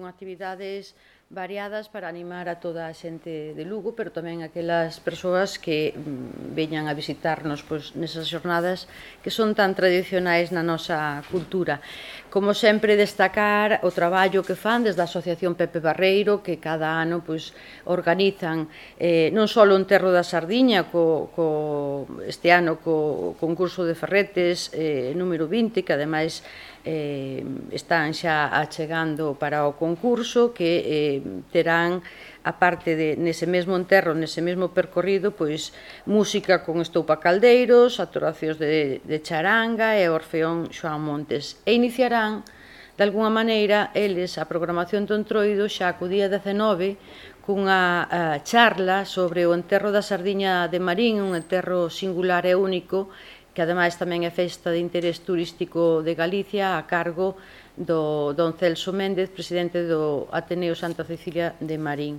Con actividades variadas para animar a toda a xente de Lugo, pero tamén aquelas persoas que veñan a visitarnos nesas xornadas que son tan tradicionais na nosa cultura. Como sempre, destacar o traballo que fan desde a Asociación Pepe Barreiro, que cada ano organizan non só o Enterro da Sardiña, este ano co concurso de ferretes número 20, que ademais están xa achegando para o concurso, que terán, aparte nese mesmo enterro, nese mesmo percorrido, música con Estoupa Caldeiros, actuacións de charanga e Orfeón Xoán Montes. E iniciarán, de alguna maneira, eles a programación do Entroido xa co día 19, cunha charla sobre o enterro da Sardiña de Marín, un enterro singular e único, que ademais tamén é festa de interés turístico de Galicia, a cargo do don Celso Méndez, presidente do Ateneo Santa Cecilia de Marín.